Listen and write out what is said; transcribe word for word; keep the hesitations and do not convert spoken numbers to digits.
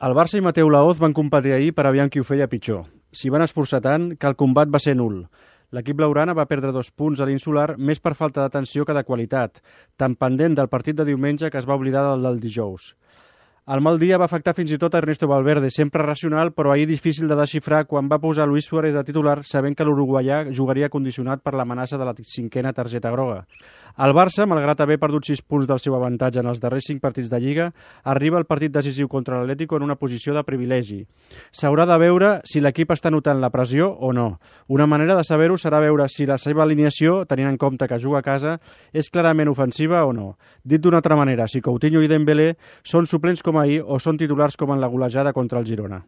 El Barça i Mateu Laoz van competir ahir per aviam qui ho feia pitjor. S'hi van esforçar tant que el combat va ser nul. L'equip blaugrana va perdre dos punts a l'Insular més per falta d'atenció que de qualitat, tan pendent del partit de diumenge que es va oblidar del del dijous. El mal dia va afectar fins i tot a Ernesto Valverde, sempre racional, però ahir difícil de desxifrar quan va posar Luis Suárez de titular, sabent que l'uruguaià jugaria condicionat per l'amenaça de la cinquena targeta groga. El Barça, malgrat haver perdut sis punts del seu avantatge en els darrers cinc partits de Lliga, arriba al partit decisiu contra l'Atlético en una posició de privilegi. S'haurà de veure si l'equip està notant la pressió o no. Una manera de saber-ho serà veure si la seva alineació, tenint en compte que juga a casa, és clarament ofensiva o no. Dit d'una altra manera, si Coutinho i Dembélé són suplents com ahir o són titulars com en la golejada contra el Girona.